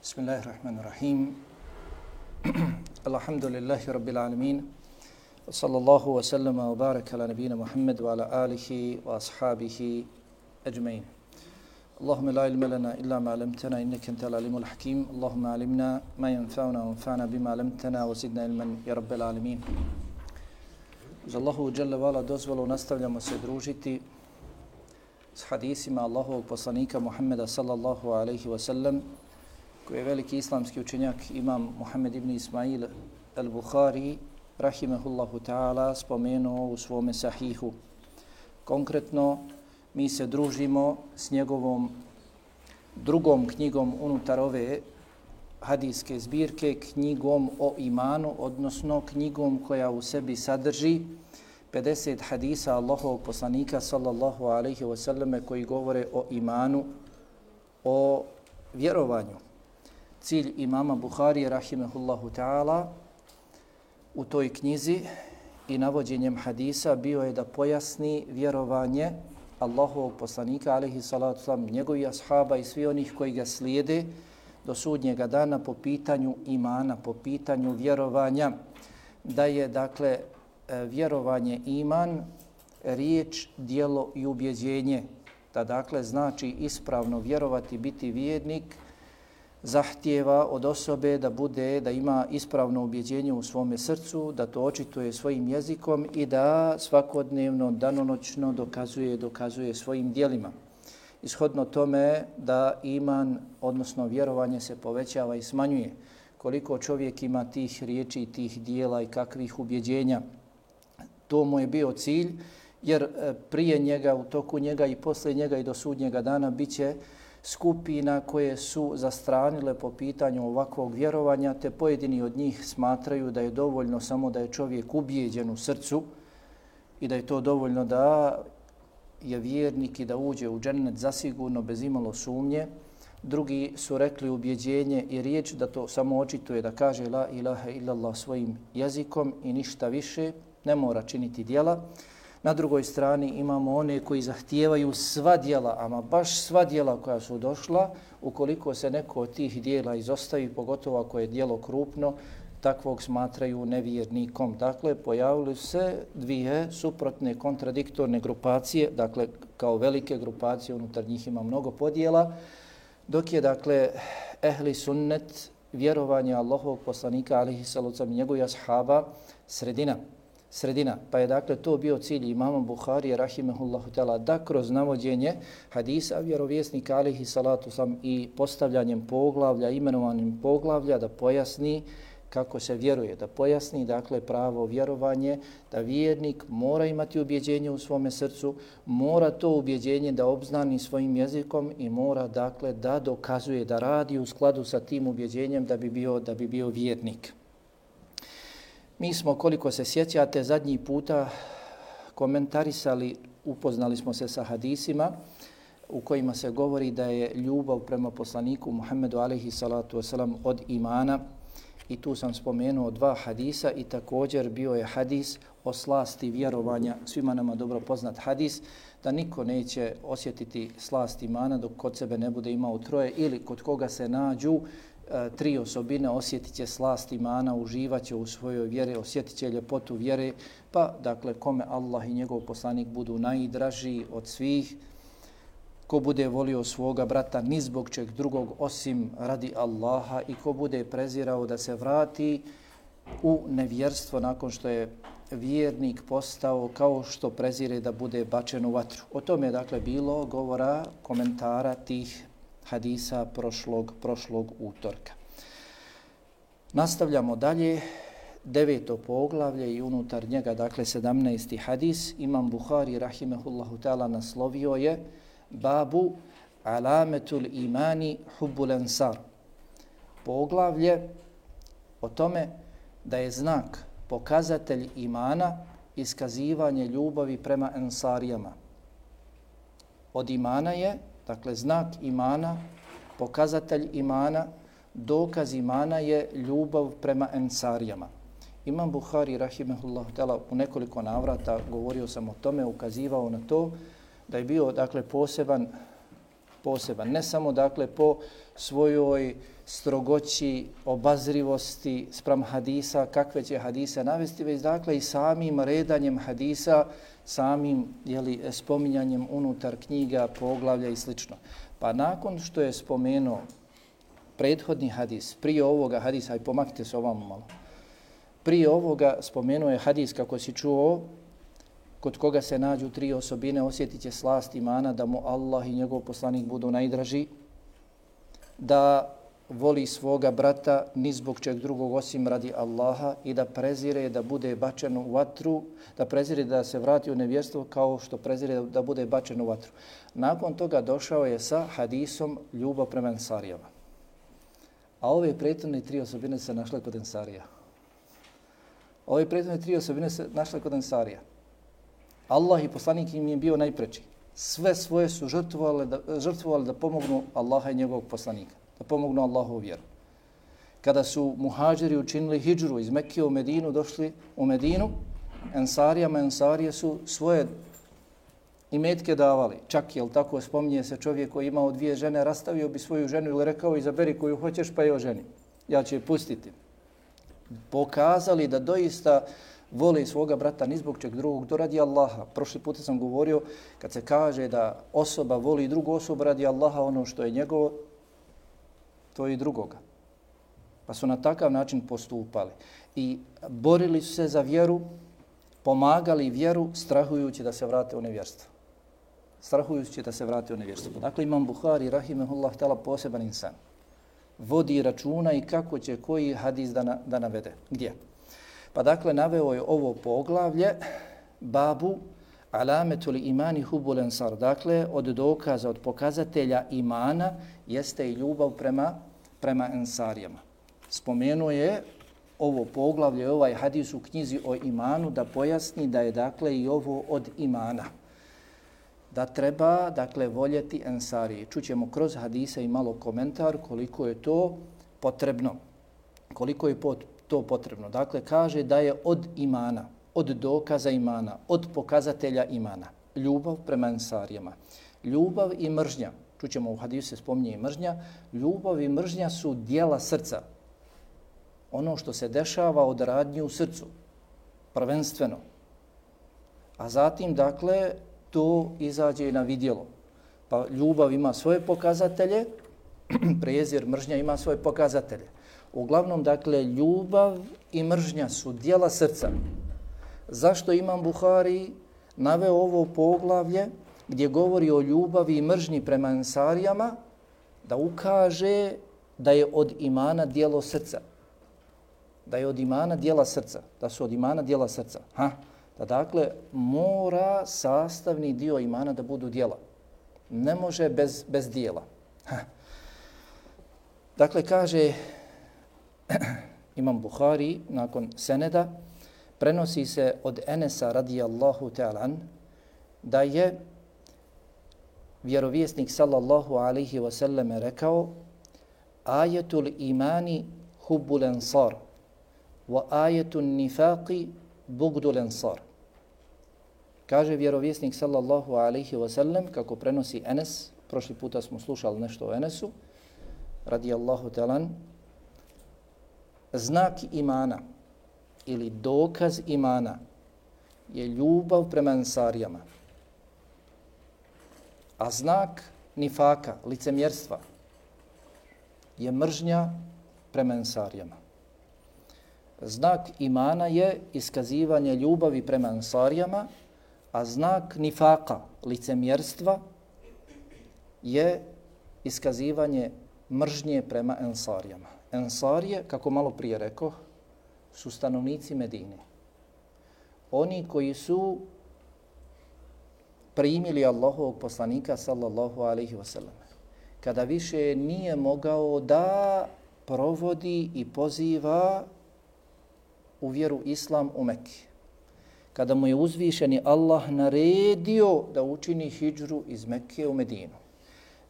Bismillahirrahmanirrahim. Alhamdulillahi rabbil alamin. Wa sallallahu wa sallama wa baraka ala nabina Muhammad wa ala alihi wa ashabihi ajma'in. Allahumma la ilma lana illa ma 'allamtana innaka antal alimul hakim. Allahumma 'allimna ma yanfa'una wanfa'na bima 'allamtana wa zidna ilman ya rabbil alamin. Uz Allahu dželle ve ala dozvolu nastavljamo se družiti s hadisima Allahovog poslanika Muhammeda sallallahu alejhi ve sellem, koji je veliki islamski učenjak imam Muhammed ibn Ismail al-Bukhari rahimehullahu ta'ala spomenuo u svome sahihu. Konkretno, mi se družimo s njegovom drugom knjigom unutar ove hadijske zbirke, knjigom o imanu, odnosno knjigom koja u sebi sadrži 50 hadisa Allahovog poslanika sallallahu alejhi ve selleme koji govore o imanu, o vjerovanju. Cilj imama Buharije rahimehullahu ta'ala u toj knjizi i navođenjem hadisa bio je da pojasni vjerovanje Allahovog poslanika alejhi salatu vesselam, njegovih ashaba i svi onih koji ga slijede do sudnjega dana po pitanju imana, po pitanju vjerovanja, da je dakle vjerovanje iman, riječ, djelo i ubjeđenje, da dakle znači ispravno vjerovati, biti vjernik, zahtijeva od osobe da ima ispravno ubjeđenje u svome srcu, da to očituje svojim jezikom i da svakodnevno, danonoćno dokazuje svojim djelima. Ishodno tome da iman, odnosno vjerovanje, se povećava i smanjuje. Koliko čovjek ima tih riječi, tih dijela i kakvih ubjeđenja, to mu je bio cilj, jer prije njega, u toku njega i poslije njega i do sudnjega dana biće skupina koje su zastranile po pitanju ovakvog vjerovanja, te pojedini od njih smatraju da je dovoljno samo da je čovjek ubijeđen u srcu i da je to dovoljno da je vjernik i da uđe u džennet zasigurno bez imalo sumnje. Drugi su rekli ubjeđenje i riječ, da to samo očituje, da kaže la ilaha illallah svojim jezikom i ništa više, ne mora činiti djela. Na drugoj strani imamo one koji zahtijevaju sva djela, ama baš sva djela koja su došla, ukoliko se neko od tih djela izostavi, pogotovo ako je djelo krupno, takvog smatraju nevjernikom. Dakle, pojavili se dvije suprotne kontradiktorne grupacije, dakle, kao velike grupacije, unutar njih ima mnogo podjela, dok je, dakle, ehli sunnet, vjerovanje Allahovog poslanika, alejhi salatu vesselam, i njegovih ashaba, sredina. Pa je dakle to bio cilj imama Buharije rahimehullahu ta'ala, da kroz navođenje hadisa vjerovjesnika alejhi salatu vesselam i postavljanjem poglavlja, imenovanjem poglavlja, da pojasni kako se vjeruje, da pojasni dakle pravo vjerovanje, da vjernik mora imati ubjeđenje u svome srcu, mora to ubjeđenje da obznani svojim jezikom i mora dakle da dokazuje, da radi u skladu sa tim ubjeđenjem da bi bio vjernik. Mi smo, koliko se sjećate, zadnji puta komentarisali, upoznali smo se sa hadisima u kojima se govori da je ljubav prema poslaniku Muhammedu alejhi salatu vesselam od imana, i tu sam spomenuo dva hadisa i također bio je hadis o slasti vjerovanja, svima nama dobro poznat hadis, da niko neće osjetiti slast imana dok kod sebe ne bude imao troje ili kod koga se nađu tri osobine, osjetit će slast imana, uživaće u svojoj vjeri, osjetit će ljepotu vjere, pa dakle kome Allah i njegov poslanik budu najdraži od svih, ko bude volio svoga brata ni zbog čeg drugog osim radi Allaha i ko bude prezirao da se vrati u nevjerstvo nakon što je vjernik postao, kao što prezire da bude bačen u vatru. O tome je dakle bilo govora, komentara tih hadisa prošlog utorka. Nastavljamo dalje, 9. poglavlje i unutar njega, dakle 17. hadis. Imam Buhari rahimehullahu ta'ala naslovio je Babu alametul imani hubbul ansar. Poglavlje o tome da je znak, pokazatelj imana, iskazivanje ljubavi prema ensarijama. Od imana je, dakle, znak imana, pokazatelj imana, dokaz imana je ljubav prema ensarijama. Imam Buhari rahimehullahu ta'ala u nekoliko navrata, govorio sam o tome, ukazivao na to da je bio dakle poseban poseban. Ne samo dakle po svojoj strogoći, obazrivosti spram hadisa, kakve će hadise navesti, već dakle i samim redanjem hadisa, samim spominjanjem unutar knjiga, poglavlja i sl. Pa nakon što je spomenuo prethodni hadis, prije ovoga hadisa, aj pomaknite se ovamo malo, prije ovoga spomenuo je hadis kako si čuo, kod koga se nađu 3 osobine, osjetit će slast imana, da mu Allah i njegov poslanik budu najdraži, da voli svoga brata ni zbog čeg drugog osim radi Allaha i da prezire da bude bačen u vatru, da prezire da se vrati u nevjerstvo kao što prezire da bude bačen u vatru. Nakon toga došao je sa hadisom ljubav prema Ensarijama. A ove prethodne 3 osobine se našle kod Ensarija. Ove prethodne 3 osobine se našle kod Ensarija. Allah i poslanik im je bio najpreči. Sve svoje su žrtvovali da pomognu Allaha i njegovog poslanika, da pomognu Allahovu vjeru. Kada su muhađiri učinili hidžru iz Mekke u Medinu, došli u Medinu, Ensarije su svoje imetke davali. Čak, jel tako, spominje se čovjek koji imao 2 žene, rastavio bi svoju ženu ili rekao izaberi koju hoćeš pa je oženi. Ja ću je pustiti. Pokazali da doista vole svoga brata ni zbog čeg drugog, to radi Allaha. Prošli puta sam govorio, kad se kaže da osoba voli drugu osobu radi Allaha, ono što je njegovo, to je i drugoga. Pa su na takav način postupali. I borili su se za vjeru, pomagali vjeru, strahujući da se vrate u nevjerstvo. Strahujući da se vrate u nevjerstvo. Dakle, Imam Buhari, rahimehullah ta'ala, poseban insan. Vodi računa i kako će koji hadis da navede. Gdje? Pa dakle, naveo je ovo poglavlje, babu alametul imani hubul ensar. Dakle, od dokaza, od pokazatelja imana jeste i ljubav prema Ensarijama. Spomenuo je ovo poglavlje, ovaj hadis u knjizi o imanu da pojasni da je dakle i ovo od imana. Da treba dakle voljeti Ensarije. Čućemo kroz hadise i malo komentar koliko je to potrebno. Koliko je to potrebno. Dakle, kaže da je od imana, od dokaza imana, od pokazatelja imana. Ljubav prema Ensarijama. Ljubav i mržnja. Čućemo u hadisu se spominje i mržnja. Ljubav i mržnja su dijela srca. Ono što se dešava od radnji u srcu. Prvenstveno. A zatim, dakle, to izađe na vidjelo. Pa ljubav ima svoje pokazatelje, prezir, mržnja ima svoje pokazatelje. Uglavnom, dakle, ljubav i mržnja su dijela srca. Zašto Imam Buhari naveo ovo poglavlje gdje govori o ljubavi i mržnji prema Ensarijama, da ukaže da je od imana dijelo srca. Da je od imana dijela srca. Da su od imana dijela srca. Da dakle mora sastavni dio imana da budu dijela. Ne može bez dijela. Dakle, kaže Imam Buhari nakon seneda, prenosi se od Enesa radijallahu ta'ala da je vjerovjesnik sallallahu alaihi wa sallam rekao: ajetul imani hubbul ensar wa ajetul nifaqi bugdul ensar. Kaže vjerovjesnik sallallahu alaihi wa sallam, kako prenosi Enes, prošli puta smo slušali nešto o Enesu, radijallahu ta'ala, znak imana ili dokaz imana je ljubav prema Ensarijama. A znak nifaka, licemjerstva, je mržnja prema Ensarijama. Znak imana je iskazivanje ljubavi prema Ensarijama, a znak nifaka, licemjerstva, je iskazivanje mržnje prema Ensarijama. Ensarije, kako malo prije rekao, su stanovnici Medine. Oni koji su primili Allahovog poslanika sallallahu alaihi wasallam. Kada više nije mogao da provodi i poziva u vjeru Islam u Mekke. Kada mu je uzvišeni Allah naredio da učini hidžru iz Mekke u Medinu.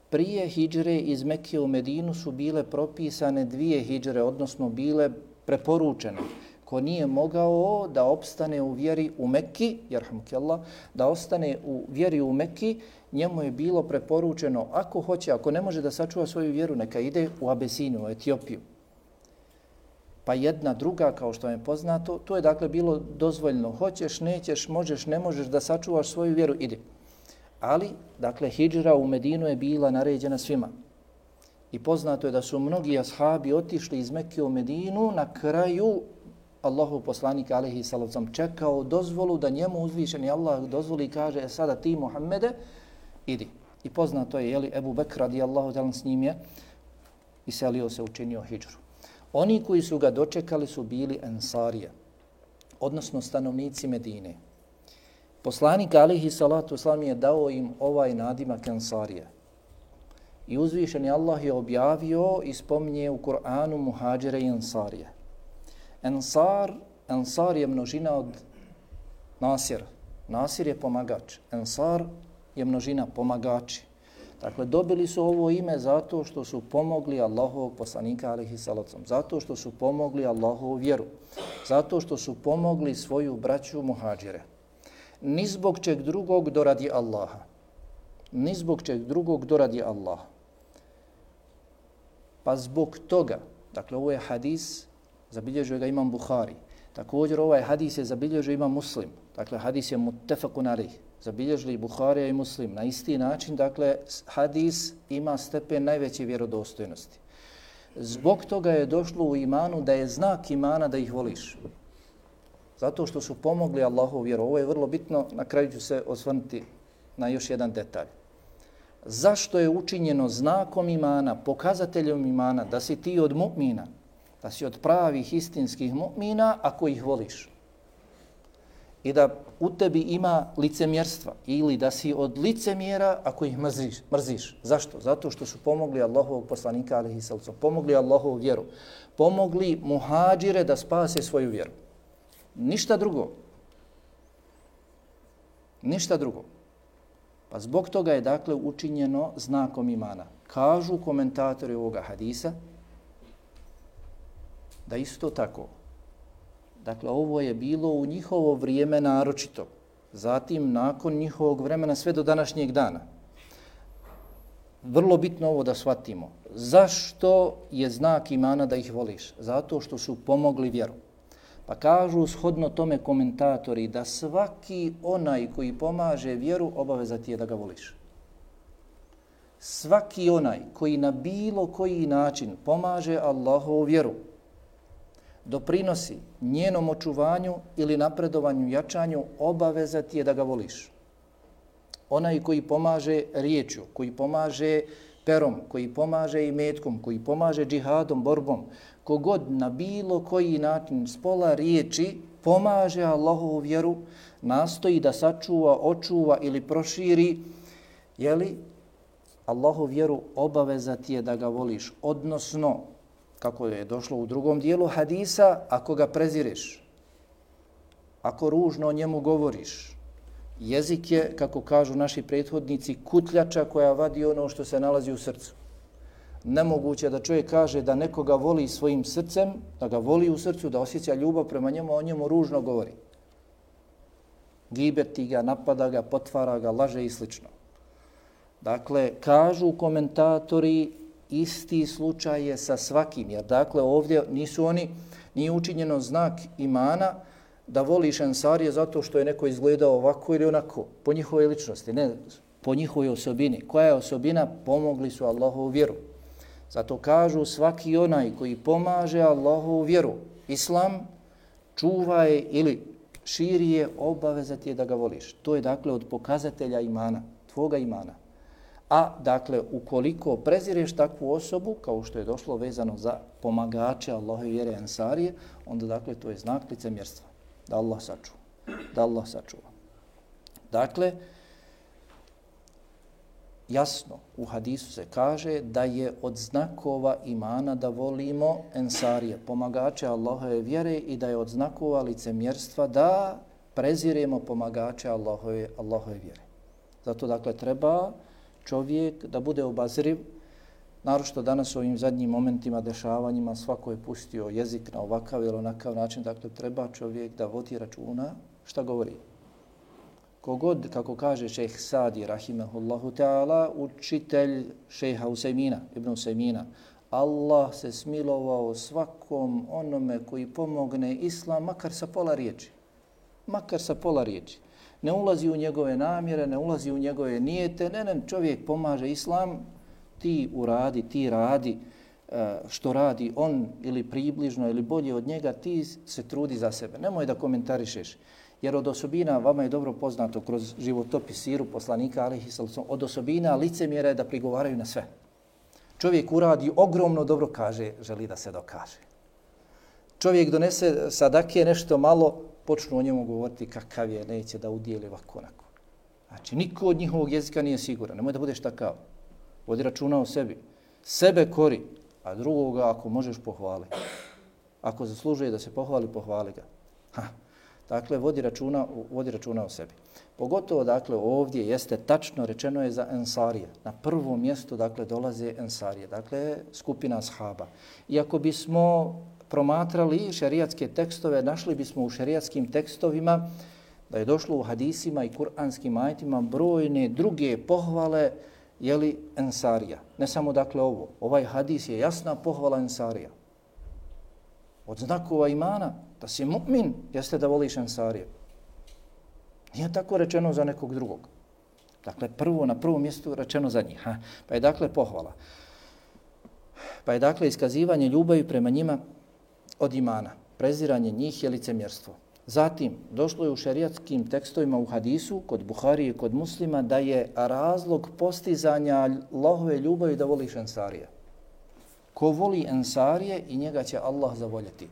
Prije hidžre iz Mekke u Medinu su bile propisane 2 hidžre, odnosno bile preporučene. ko nije mogao da opstane u vjeri u Mekki, jerhamukallah, da ostane u vjeri u Mekki, njemu je bilo preporučeno, ako hoće, ako ne može da sačuva svoju vjeru, neka ide u Abesiniju, u Etiopiju. Pa jedna, druga, kao što je poznato, to je dakle bilo dozvoljno. Hoćeš, nećeš, možeš, ne možeš da sačuvaš svoju vjeru, idi. Ali, dakle, hidžra u Medinu je bila naređena svima. I poznato je da su mnogi ashabi otišli iz Mekke u Medinu, na kraju Allahov poslanik alejhi salatu vesselam čekao dozvolu da njemu uzvišeni Allah dozvoli i kaže sada ti Muhammede idi. I poznato je jeli Ebu Bekr radijallahu ta'ala s njim je iselio se, učinio hidžru. Oni koji su ga dočekali su bili Ensarije, odnosno stanovnici Medine. Poslanik alejhi salatu vesselam je dao im ovaj nadimak Ensarije. I uzvišeni Allah je objavio i spominje u Kur'anu muhađire i Ensarije. Ensar je množina od Nasir. Nasir je pomagač. Ensar je množina pomagači. Dakle, dobili su ovo ime zato što su pomogli Allahovog poslanika alejhi salatu vesselam, zato što su pomogli Allahovu vjeru, zato što su pomogli svoju braću muhađire. Ni zbog čeg drugog doradi Allaha. Ni zbog čeg drugog doradi Allaha. Pa zbog toga, dakle ovo je hadis, zabilježio ga imam Buhari. Također ovaj hadis je zabilježio imam Muslim. Dakle, hadis je muttefakun alejh. Zabilježili Buharija i Muslim. Na isti način, dakle, hadis ima stepen najveće vjerodostojnosti. Zbog toga je došlo u imanu da je znak imana da ih voliš. Zato što su pomogli Allahovu vjeru. Ovo je vrlo bitno, na kraju ću se osvrnuti na još jedan detalj. Zašto je učinjeno znakom imana, pokazateljom imana, da si ti od mu'mina, da si od pravih istinskih mu'mina ako ih voliš? I da u tebi ima licemjerstva ili da si od licemjera ako ih mrziš. Zašto? Zato što su pomogli Allahovog poslanika alejhi salatu vesselam, pomogli Allahovu vjeru, pomogli muhađire da spase svoju vjeru. Ništa drugo. Ništa drugo. Pa zbog toga je dakle učinjeno znakom imana. Kažu komentatori ovoga hadisa da isto tako. Dakle, ovo je bilo u njihovo vrijeme naročito. Zatim, nakon njihovog vremena sve do današnjeg dana. Vrlo bitno ovo da shvatimo. Zašto je znak imana da ih voliš? Zato što su pomogli vjeru. Pa kažu shodno tome komentatori da svaki onaj koji pomaže vjeru obaveza ti je da ga voliš. Svaki onaj koji na bilo koji način pomaže Allahovu vjeru, doprinosi njenom očuvanju ili napredovanju, jačanju, obaveza ti je da ga voliš. Onaj koji pomaže riječju, koji pomaže perom, koji pomaže imetkom, koji pomaže džihadom, borbom, kogod na bilo koji način s pola riječi pomaže Allahovu vjeru, nastoji da sačuva, očuva ili proširi, jeli, Allahovu vjeru obaveza ti je da ga voliš. Odnosno, kako je došlo u drugom dijelu hadisa, ako ga prezireš, ako ružno o njemu govoriš, jezik je, kako kažu naši prethodnici, kutljača koja vadi ono što se nalazi u srcu. Nemoguće da čovjek kaže da nekoga voli svojim srcem, da ga voli u srcu, da osjeća ljubav prema njemu, a o njemu ružno govori. Gibeti ga, napada ga, potvara ga, laže i slično. Dakle, kažu komentatori, isti slučaj je sa svakim, jer dakle ovdje nije učinjeno znak imana da voliš Ensarije zato što je neko izgledao ovako ili onako, po njihovoj ličnosti, ne, po njihovoj osobini. Koja je osobina? Pomogli su Allahovu vjeru. Zato kažu svaki onaj koji pomaže Allahovu vjeru, islam, čuva je ili širi je, obaveza ti je da ga voliš. To je dakle od pokazatelja imana, tvoga imana. A dakle, ukoliko prezireš takvu osobu, kao što je došlo vezano za pomagače Allahove vjere Ensarije, onda dakle to je znak licemjerstva. Da Allah sačuva. Da Allah sačuva. Dakle, jasno u hadisu se kaže da je od znakova imana da volimo Ensarije, pomagače Allahove vjere, i da je od znakova licemjerstva da preziremo pomagače Allahove vjere. Zato dakle treba čovjek da bude obazriv, naročito danas u ovim zadnjim momentima, dešavanjima, svako je pustio jezik na ovakav ili onakav način, dakle treba čovjek da vodi računa šta govori. Kogod, kako kaže šejh Sadi, rahimehullahu ta'ala, učitelj šejha Usejmina, Ibn Usejmina, Allah se smilovao svakom onome koji pomogne islam, makar sa pola riječi. Makar sa pola riječi. Ne ulazi u njegove namjere, ne ulazi u njegove nijete, ne, čovjek pomaže islam, ti uradi, ti radi što radi on ili približno ili bolje od njega, ti se trudi za sebe. Nemoj da komentarišeš. Jer od osobina, vama je dobro poznato kroz životopis siru poslanika, alejhi salatu, od osobina licemjera je da prigovaraju na sve. Čovjek uradi ogromno dobro, kaže, želi da se dokaže. Čovjek donese sadake nešto malo, počnu o njemu govoriti kakav je, neće da udijeli ovako onako. Znači, niko od njihovog jezika nije siguran. Nemoj da budeš takav. Vodi računa o sebi. Sebe kori, a drugoga ako možeš pohvali. Ako zaslužuje da se pohvali, pohvali ga. Dakle, vodi računa o sebi. Pogotovo, dakle, ovdje jeste tačno rečeno je za ensarije. Na prvom mjestu, dakle, dolaze ensarije. Dakle, skupina ashaba. Iako bismo promatrali šerijatske tekstove, našli bismo u šerijatskim tekstovima da je došlo u hadisima i kuranskim ajetima brojne druge pohvale jeli ensarija. Ne samo dakle ovo. Ovaj hadis je jasna pohvala ensarija. Od znakova imana da si mu'min jeste da voliš ensarije. Nije tako rečeno za nekog drugog. Dakle, na prvom mjestu rečeno za njih. Pa je dakle pohvala. Pa je dakle iskazivanje ljubavi prema njima od imana. Preziranje njih je licemjerstvo. Zatim, došlo je u šerijatskim tekstovima u hadisu, kod Buharije i kod Muslima, da je razlog postizanja Allahove ljubavi da voliš ensarije. Ko voli ensarije i njega će Allah zavoljeti.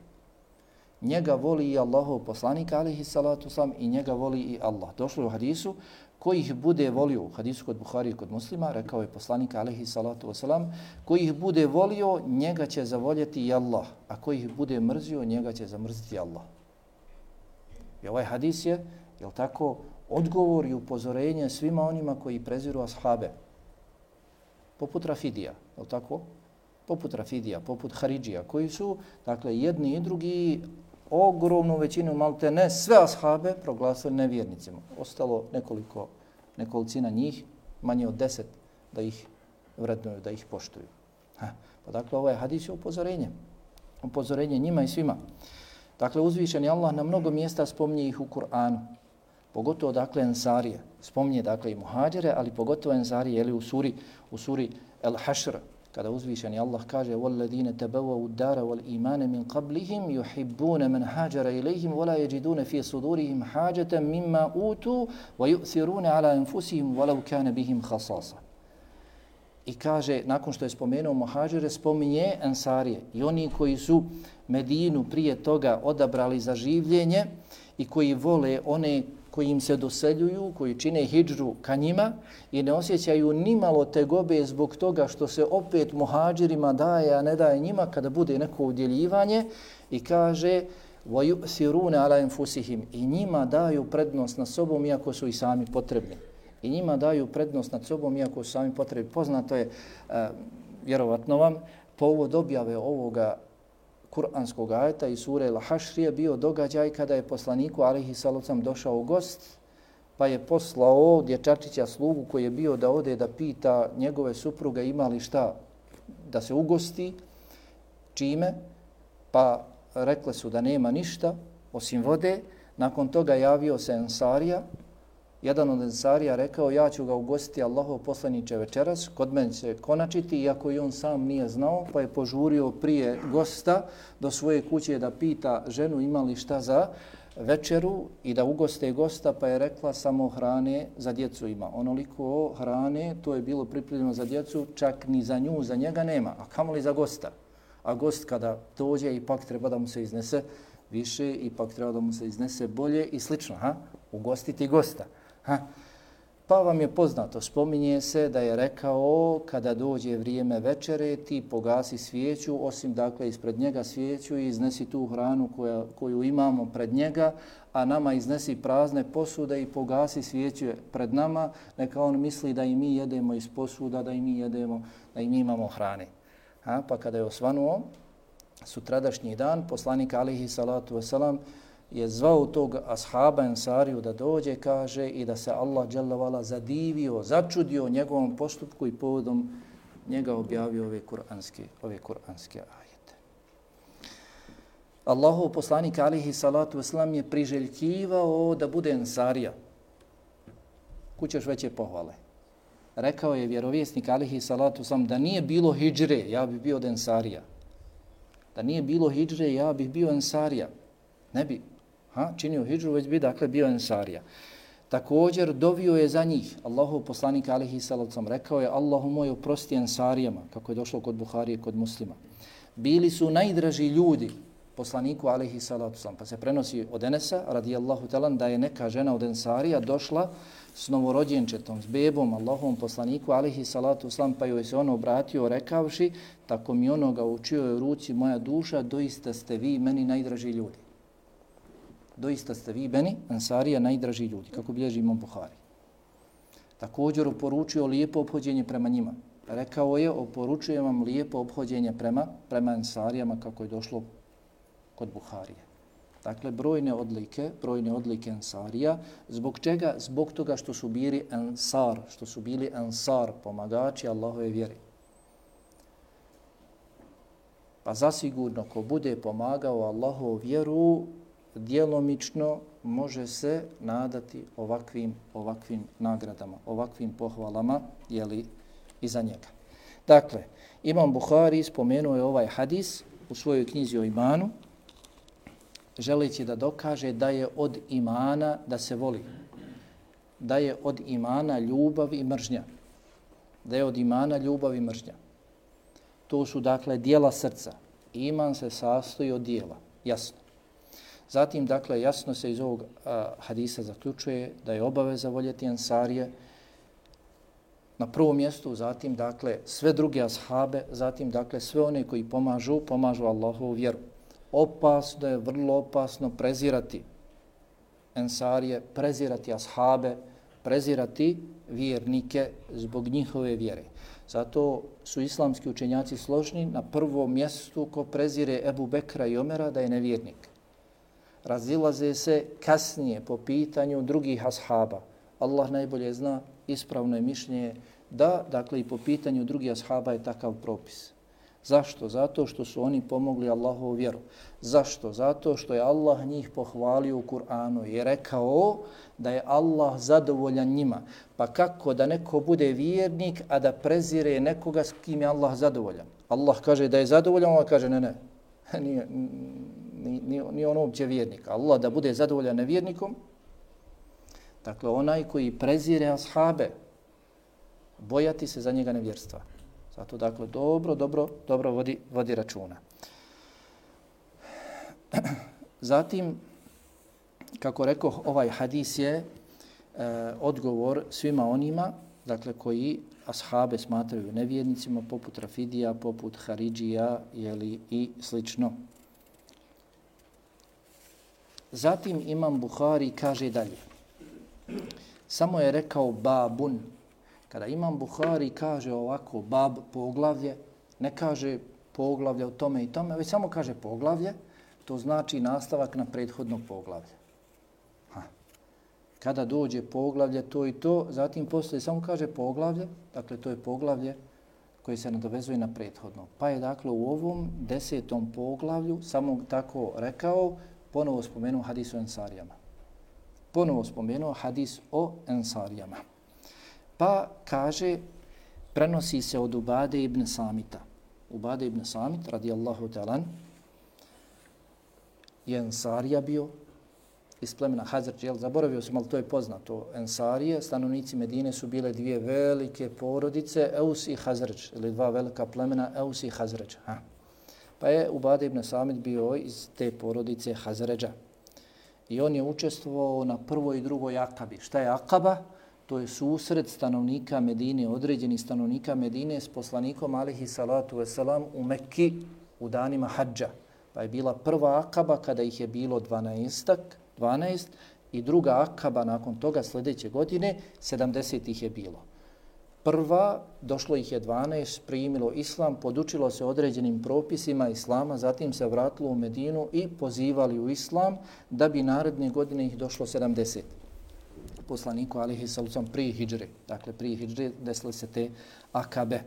Njega voli i Allahov poslanik, alejhi salatu vesselam, i njega voli i Allah. Došlo je u hadisu, ko ih bude volio, u hadisu kod Buharije i kod Muslima, rekao je poslanik, alejhi salatu vesselam, ko ih bude volio, njega će zavoljeti i Allah, a ko ih bude mrzio, njega će zamrziti Allah. I ovaj hadis je, jel tako, odgovor i upozorenje svima onima koji preziru ashabe. Poput Rafidija, jel tako? Poput Rafidija, poput Haridžija, koji su, dakle, jedni i drugi ogromnu većinu, malte ne sve ashabe, proglasili nevjernicima. Ostalo nekolicina njih, manje od 10, da ih vrednuju, da ih poštuju. Pa dakle, ovaj hadis je upozorenje njima i svima. Dakle, uzvišeni Allah na mnogo mjesta spominje ih u Kur'anu, pogotovo dakle ensarije. Spominje dakle i muhađire, ali pogotovo ensarije, jeli u suri El-Hašr, kada uzvišeni Allah kaže وَالَّذِينَ تَبَوَّوُ الدَّارَ وَالْإِيمَانَ مِنْ قَبْلِهِمْ يُحِبُّونَ مَنْ هَاجَرَ إِلَيْهِمْ وَلَا يَجِدُونَ فِي صُدُورِهِمْ حَاجَةً مِمَّا أُوتُوا وَيُؤْثِرُونَ عَلَى أَنفُسِهِمْ وَلَوْ كَانَ بِهِمْ خَصَاصًا. I kaže, nakon što je spomenuo muhađire, spominje ensarije i oni koji su Medinu prije toga odabrali za življenje i koji vole one koji im se doseljuju, koji čine hidžru ka njima i ne osjećaju nimalo tegobe zbog toga što se opet muhađirima daje, a ne daje njima kada bude neko udjeljivanje, i kaže وَيُؤْثِرُونَ عَلَى أَنفُسِهِمْ, i njima daju prednost nad sobom iako su i sami potrebni. I njima daju prednost nad sobom iako su sami potrebni. Poznato je, vjerovatno vam, povod objave ovoga kuranskog ajeta i sure El-Hašr je bio događaj kada je poslaniku alejhi salatu vesselam došao gost, pa je poslao dječačića slugu koji je bio da ode da pita njegove supruge ima li šta da se ugosti, čime, pa rekle su da nema ništa osim vode. Nakon toga javio se ensarija. Jedan od ensarija rekao, ja ću ga ugostiti Allahov poslaniče večeras, kod mene će konačiti, iako i on sam nije znao, pa je požurio prije gosta do svoje kuće da pita ženu ima li šta za večeru i da ugoste gosta, pa je rekla samo hrane za djecu ima. Onoliko hrane, to je bilo pripremljeno za djecu, čak ni za nju, za njega nema, a kamoli za gosta. A gost kada dođe, ipak treba da mu se iznese više, ipak treba da mu se iznese bolje i slično, ugostiti gosta. Pa vam je poznato, spominje se da je rekao kada dođe vrijeme večere ti pogasi svijeću, osim dakle ispred njega svijeću i iznesi tu hranu koju imamo pred njega, a nama iznesi prazne posude i pogasi svijeću pred nama, neka on misli da i mi jedemo iz posuda, da i mi jedemo, da i mi imamo hrane. Pa kada je osvanuo sutradašnji dan, poslanik alihi salatu wasalam je zvao tog ashaba Ensariju da dođe, kaže, i da se Allah dželle ve ala zadivio, začudio njegovom postupku i povodom njega objavio ove kuranske ajete. Allahov poslanik alihi salatu wasalam je priželjkivao da bude Ensarija. Kućeš veće pohvale. Rekao je vjerovjesnik alihi salatu wasalam da nije bilo hidžre, ja bih bio od Ensarija. Da nije bilo hidžre, ja bih bio Ensarija. Ne bi činio hidžru, već bi dakle bio Ensarija. Također dovio je za njih. Allahov poslanik alihi salatu rekao je Allahu moj oprosti Ensarijama, kako je došlo kod Buharije, kod Muslima. Bili su najdraži ljudi poslaniku alihi salatu pa se prenosi od Enesa radijallahu talan da je neka žena od Ensarija došla s novorođenčetom, s bebom Allahovom poslaniku alihi salatu pa joj se on obratio rekavši tako mi onoga u čijoj ruci moja duša, doista ste vi meni najdraži ljudi. Doista ste vi meni, Ensarija, najdraži ljudi, kako bilježi Imam Buhari. Također oporučio lijepo ophođenje prema njima. Rekao je, oporučujem vam lijepo ophođenje prema Ensarijama, kako je došlo kod Buharije. Dakle, brojne odlike Ensarija. Zbog čega? Zbog toga što su bili Ensar, pomagači Allahove vjeri. Pa zasigurno, ko bude pomagao Allahovu vjeru, djelomično može se nadati ovakvim nagradama, ovakvim pohvalama, jeli, iza njega. Dakle, Imam Buhari spomenuo je ovaj hadis u svojoj knjizi o imanu, želeći da dokaže da je od imana da se voli, da je od imana ljubav i mržnja, da je od imana ljubav i mržnja. To su dakle dijela srca. Iman se sastoji od dijela, jasno. Zatim, dakle, jasno se iz ovog hadisa zaključuje da je obaveza voljeti Ensarije na prvom mjestu, zatim, dakle, sve druge ashabe, zatim, dakle, sve one koji pomažu Allahovu vjeru. Opasno je, vrlo opasno prezirati Ensarije, prezirati ashabe, prezirati vjernike zbog njihove vjere. Zato su islamski učenjaci složni na prvom mjestu ko prezire Ebu Bekra i Omera da je nevjernik. Razilaze se kasnije po pitanju drugih ashaba. Allah najbolje zna, ispravno je mišljenje da, dakle, i po pitanju drugih ashaba je takav propis. Zašto? Zato što su oni pomogli Allahovu vjeru. Zašto? Zato što je Allah njih pohvalio u Kur'anu i rekao da je Allah zadovoljan njima. Pa kako da neko bude vjernik, a da prezire nekoga s kim je Allah zadovoljan? Allah kaže da je zadovoljan, Allah kaže ne. Nije on uopće vjernik. Allah da bude zadovoljan nevjernikom, dakle onaj koji prezire ashabe, bojati se za njega nevjerstva. Zato dakle dobro vodi računa. Zatim, kako rekoh, ovaj hadis je odgovor svima onima, dakle koji ashabe smatraju nevjernicima, poput Rafidija, poput Haridžija, jeli, i slično. Zatim Imam Buhari kaže dalje. Samo je rekao babun. Kada Imam Buhari kaže ovako bab, poglavlje, ne kaže poglavlje o tome i tome, već samo kaže poglavlje, to znači nastavak na prethodno poglavlje. Kada dođe poglavlje to i to, zatim poslije samo kaže poglavlje, dakle to je poglavlje koje se nadovezuje na prethodno. Pa je dakle u ovom 10. poglavlju samo tako rekao, ponovo spomenuo hadis o Ensarijama. Pa kaže, prenosi se od Ubade ibn Samita. Ubade ibn Samit, radijallahu ta'ala, je Ensarija bio iz plemena Hazrdž, zaboravio sam, ali to je poznato. Ensarije, stanovnici Medine su bile dvije velike porodice, Eus i Hazrdž, ili dva velika plemena, Eus i Hazrdž. Pa je Ubade ibn Samit bio iz te porodice Hazredža. I on je učestvovao na prvoj i drugoj akabi. Šta je akaba? to je susret stanovnika Medine, određenih stanovnika Medine s poslanikom alihi salatu wasalam u Mekki u danima hadža. Pa je bila prva akaba kada ih je bilo 12 i druga akaba nakon toga sljedeće godine 70 ih je bilo. Prva, došlo ih je 12, primilo islam, podučilo se određenim propisima islama, zatim se vratilo u Medinu i pozivali u islam da bi naredne godine ih došlo 70. Poslaniku alihi sallam prije hidžre, dakle prije hidžre desile se te akabe.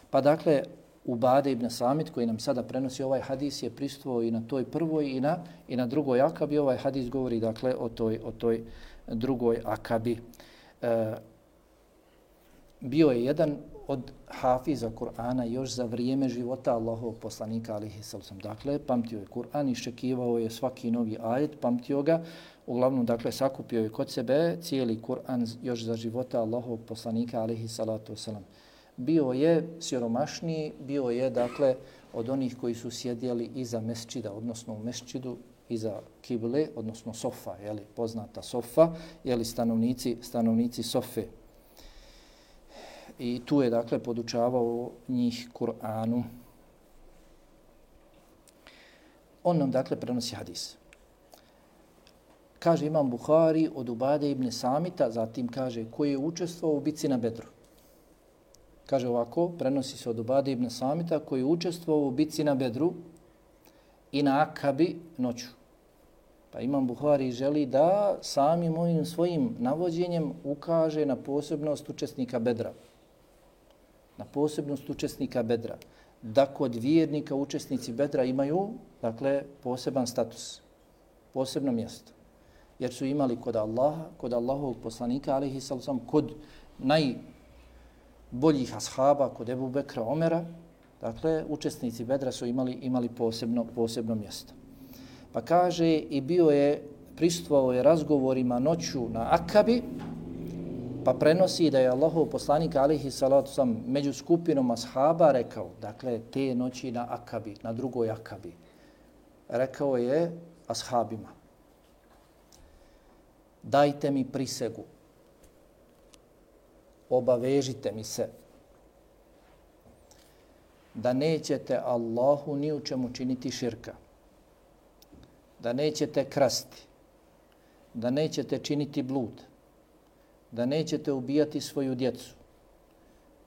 Pa dakle, Ubade ibn Samit koji nam sada prenosi ovaj hadis je prisustvovao i na toj prvoj i na drugoj akabi. Ovaj hadis govori dakle o toj drugoj akabi. Bio je jedan od hafiza Kur'ana još za vrijeme života Allahovog poslanika alihi sallam. Dakle, pamtio je Kur'an, iščekivao je svaki novi ajet, pamtio ga. Uglavnom, dakle, sakupio je kod sebe cijeli Kur'an još za života Allahovog poslanika alihi salatu wasalam. Bio je siromašniji, bio je, dakle, od onih koji su sjedjeli iza mesčida, odnosno u mesčidu iza kible, odnosno sofa, jeli, poznata sofa, jeli, stanovnici sofe. I tu je, dakle, podučavao njih Kur'anu. On nam, dakle, prenosi hadis. Kaže Imam Buhari od Ubade ibn Samita, zatim kaže koji je učestvovao u bitci na Bedru. Kaže ovako, prenosi se od Ubade ibn Samita koji je učestvovao u bitci na Bedru i na Akabi noću. Pa Imam Buhari želi da samim ovim svojim navođenjem ukaže na posebnost učesnika Bedra. Na posebnost učesnika Bedra. Da kod vjernika učesnici Bedra imaju, dakle, poseban status, posebno mjesto. Jer su imali kod Allaha, kod Allahovog poslanika, alihi sallam, kod najboljih ashaba, kod Ebu Bekra, Omera, dakle, učesnici Bedra su imali posebno mjesto. Pa kaže i prisustvovao je razgovorima noću na Akabi, pa prenosi da je Allahov poslanik alihi salatu sam među skupinom ashaba rekao, dakle te noći na Akabi, na drugoj Akabi, rekao je ashabima, dajte mi prisegu, obavežite mi se da nećete Allahu ni u čemu činiti širka, da nećete krasti, da nećete činiti blud, da nećete ubijati svoju djecu,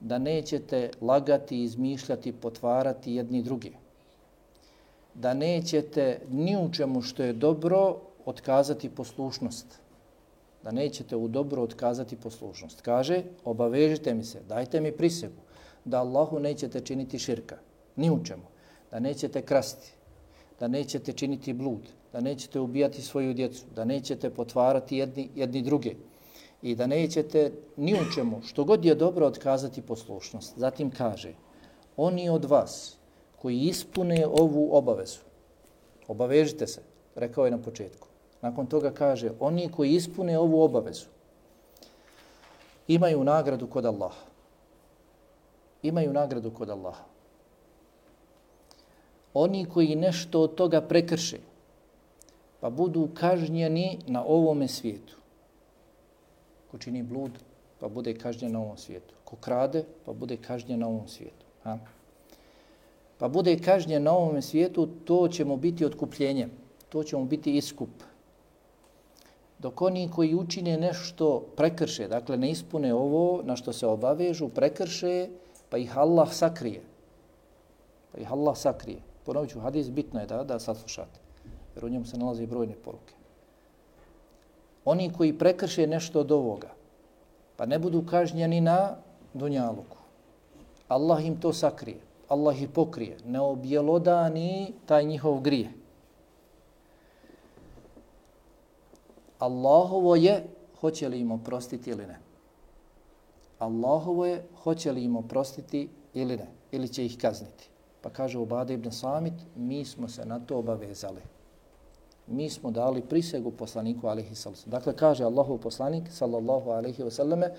da nećete lagati, izmišljati, potvarati jedni drugi, da nećete ni u čemu što je dobro otkazati poslušnost, da nećete u dobro otkazati poslušnost. Kaže, obavežite mi se, dajte mi prisegu da Allahu nećete činiti širka, ni u čemu, da nećete krasti, da nećete činiti blud, da nećete ubijati svoju djecu, da nećete potvarati jedni druge i da nećete ni u čemu, što god je dobro, otkazati poslušnost. Zatim kaže, oni od vas koji ispune ovu obavezu, obavežite se, rekao je na početku. Nakon toga kaže, oni koji ispune ovu obavezu imaju nagradu kod Allaha. Imaju nagradu kod Allaha. Oni koji nešto od toga prekrše, pa budu kažnjeni na ovome svijetu. Ko čini blud, pa bude kažnjen na ovom svijetu. Ko krade, pa bude kažnjen na ovom svijetu. Pa bude kažnjen na ovom svijetu, to će mu biti otkupljenje. To će mu biti iskup. Dok oni koji učine nešto prekrše, dakle ne ispune ovo na što se obavežu, prekrše, pa ih Allah sakrije. Ponovit ću, hadis bitno je da saslušate, jer u njemu se nalaze brojne poruke. Oni koji prekrše nešto od ovoga, pa ne budu kažnjeni na dunjaluku, Allah im to sakrije, Allah ih pokrije, ne objelodani taj njihov grije. Allahovo je hoće li im oprostiti ili ne. Allahovo je hoće li im oprostiti ili ne, ili će ih kazniti. Pa kaže Ubade ibn Samit, mi smo se na to obavezali. Mi smo dali prisegu poslaniku alejhi sallam. Dakle, kaže Allahov poslanik sallallahu alejhi ve selleme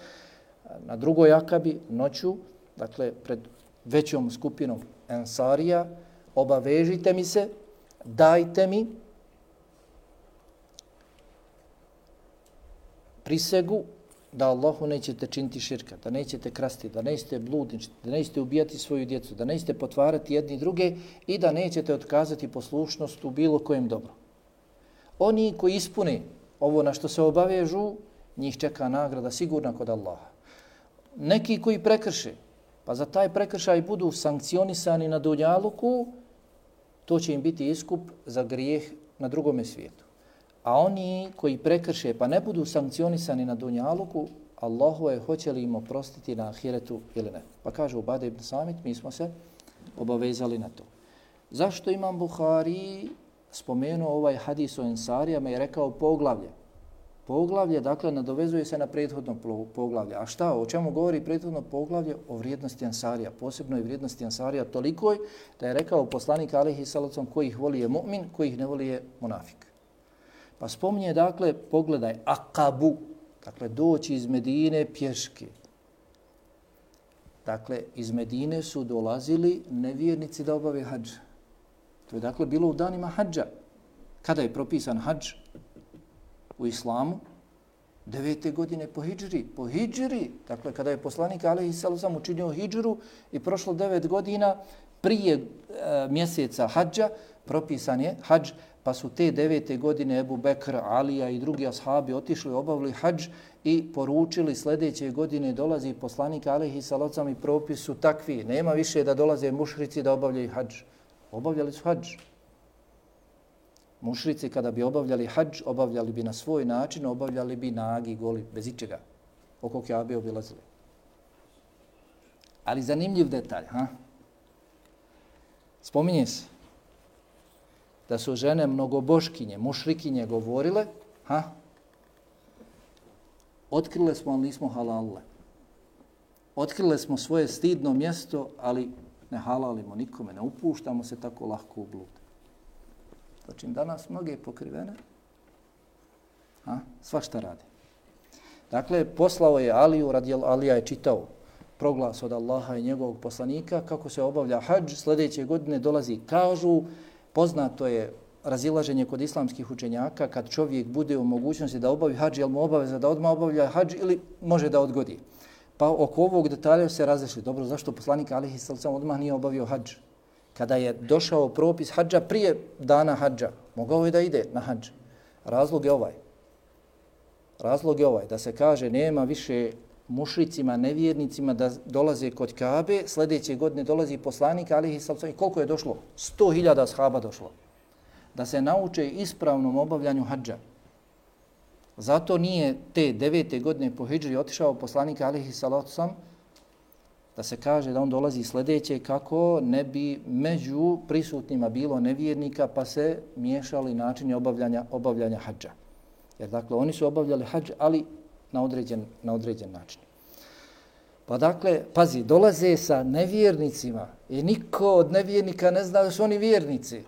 na drugoj Akabi noću, dakle pred većom skupinom ensarija, obavežite mi se, dajte mi prisegu da Allahu nećete činiti širka, da nećete krasti, da nećete bludničiti, da nećete ubijati svoju djecu, da nećete potvarati jedni druge i da nećete otkazati poslušnost u bilo kojem dobru. Oni koji ispune ovo na što se obavežu, njih čeka nagrada sigurna kod Allaha. Neki koji prekrše, pa za taj prekršaj budu sankcionisani na dunjaluku, to će im biti iskup za grijeh na drugome svijetu. A oni koji prekrše pa ne budu sankcionisani na dunjaluku, Allahu je hoće li im oprostiti na ahiretu ili ne. Pa kaže Ubade ibn Samit, mi smo se obavezali na to. Zašto Imam Buhari spomenuo ovaj hadis o Ensarijama i rekao poglavlje? Poglavlje, dakle, nadovezuje se na prethodno poglavlje. A šta? O čemu govori prethodno poglavlje? O vrijednosti Ensarija. Posebno je vrijednosti Ensarija tolikoj da je rekao poslanik alejhi salatu vesselam, koji ih voli je mu'min, koji ih ne voli je munafik. Pa spominje, dakle, pogledaj, Akabu, dakle, doći iz Medine pješke. Dakle, iz Medine su dolazili nevjernici da obave hadž. To je, dakle, bilo u danima hadža. Kada je propisan hadž u islamu? 9. godine po hidžri. Po hidžri, dakle, kada je poslanik alejhi salatu vesselam učinio hidžru i prošlo 9 godina prije mjeseca hadža, propisan je hadž, pa su te 9. godine Ebu Bekr, Alija i drugi ashabi otišli, obavili hadž i poručili sljedeće godine dolazi poslanik alejhi salatu vesselam i propis su takvi. Nema više da dolaze mušrici da obavljaju hadž. Obavljali su hadž. Mušrici kada bi obavljali hadž, obavljali bi na svoj način, obavljali bi nagi, goli, bez ičega. Oko Kjabe obilazili. Ali zanimljiv detalj, spominje se da su žene mnogoboškinje, mušrikinje govorile, otkrile smo, ali nismo halalile. Otkrile smo svoje stidno mjesto, ali ne halalimo nikome, ne upuštamo se tako lahko u blud. Znači, danas mnoge pokrivene, svašta radi. Dakle, poslao je Aliju, Alija je čitao proglas od Allaha i njegovog poslanika, kako se obavlja hadž, sljedeće godine dolazi, kažu, poznato je razilaženje kod islamskih učenjaka, kad čovjek bude u mogućnosti da obavi hadž, je li mu obaveza da odmah obavlja hadž ili može da odgodi. Pa oko ovog detalja se različili. Dobro, zašto poslanik alejhi salatu vesselam odmah nije obavio hadž? Kada je došao propis hadža prije dana hadža, mogao je da ide na hadž. Razlog je ovaj. Razlog je ovaj, da se kaže nema više mušricima, nevjernicima da dolaze kod Kabe, sljedeće godine dolazi poslanik alejhi salatu vesselam. Koliko je došlo? 100.000 ashaba došlo. Da se nauče ispravnom obavljanju hadža. Zato nije te 9. godine po hidžri otišao poslanik alejhi salatu vesselam, da se kaže da on dolazi sljedeće kako ne bi među prisutnima bilo nevjernika pa se miješali načini obavljanja hadža. Jer dakle oni su obavljali hadž, ali na određen način. Pa dakle, pazi, dolaze sa nevjernicima i niko od nevjernika ne zna da su oni vjernici.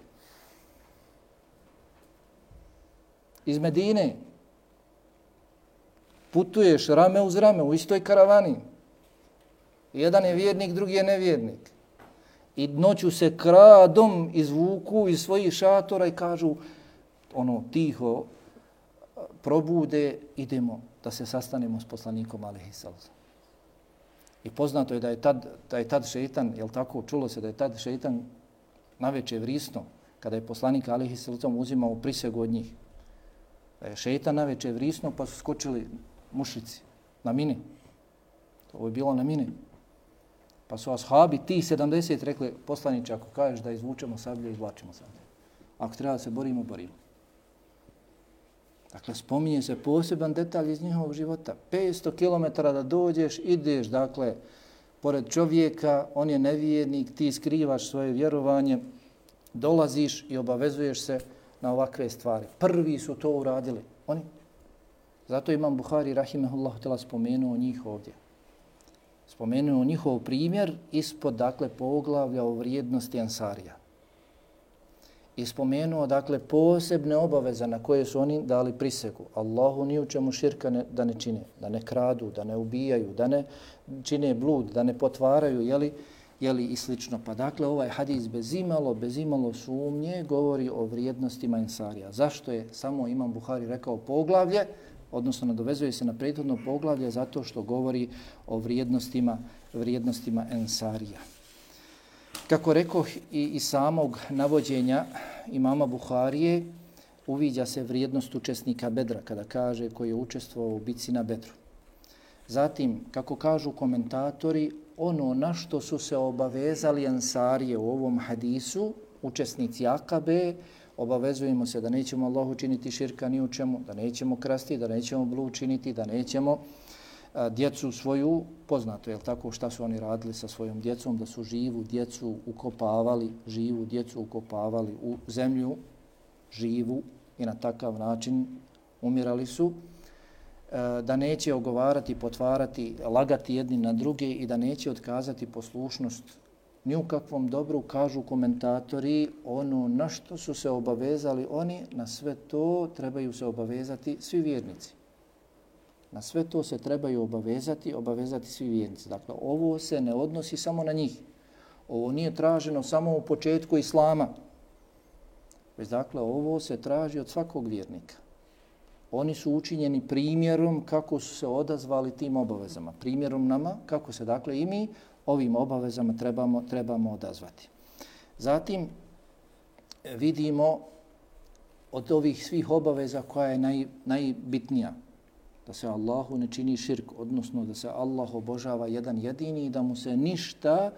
Iz Medine putuješ rame uz rame u istoj karavani. Jedan je vjernik, drugi je nevjernik. I noću se kradom izvuku iz svojih šatora i kažu tiho probude, idemo da se sastanemo s poslanikom alejhi salatu. I poznato je da je tad šejtan, jel tako, čulo se da je tad šejtan naveče vrisno kada je poslanik alejhi salatu uzimao prisegu od njih. Da je šejtan naveče vrisno pa su skočili mušici na mini. To je bilo na mini. Pa su ashabi, ti 70 rekli, poslaniče, ako kažeš da izvučemo sablje, izvlačimo sablje. Ako treba da se borimo, borimo. Dakle, spominje se poseban detalj iz njihovog života. 500 km da dođeš, ideš, dakle, pored čovjeka, on je nevjernik, ti skrivaš svoje vjerovanje, dolaziš i obavezuješ se na ovakve stvari. Prvi su to uradili. Oni. Zato Imam Buhari, rahimehullahu ta'ala, spomenuo njih ovdje. Spomenuo njihov primjer ispod, dakle, poglavlja o vrijednosti Ensarija. I spomenuo, dakle, posebne obaveze na koje su oni dali prisegu. Allahu ni u čemu širka da ne čine, da ne kradu, da ne ubijaju, da ne čine blud, da ne potvaraju, jeli i slično. Pa dakle, ovaj hadis bez imalo sumnje govori o vrijednostima Ensarija. Zašto je samo Imam Buhari rekao poglavlje? odnosno nadovezuje se na prethodno poglavlje zato što govori o vrijednostima ensarija. Kako rekoh i iz samog navođenja imama Buharije, uviđa se vrijednost učesnika Bedra kada kaže koji je učestvovao u bitci na Bedru. Zatim, kako kažu komentatori, ono na što su se obavezali ensarije u ovom hadisu, učesnici Akabe, obavezujemo se da nećemo Allahu činiti širka ni u čemu, da nećemo krasti, da nećemo blud činiti, da nećemo djecu svoju, poznato je tako šta su oni radili sa svojom djecom, da su živu djecu ukopavali u zemlju, živu, i na takav način umirali su, da neće ogovarati, potvarati, lagati jedni na druge i da neće otkazati poslušnost ni u kakvom dobru, kažu komentatori, ono na što su se obavezali oni, na sve to trebaju se obavezati svi vjernici. Na sve to se trebaju obavezati svi vjernici. Dakle, ovo se ne odnosi samo na njih. Ovo nije traženo samo u početku Islama. Već dakle, ovo se traži od svakog vjernika. Oni su učinjeni primjerom kako su se odazvali tim obavezama. Primjerom nama kako se dakle i mi ovim obavezama trebamo odazvati. Zatim vidimo od ovih svih obaveza koja je najbitnija. Da se Allahu ne čini širk, odnosno da se Allah obožava jedan jedini i da mu se ništa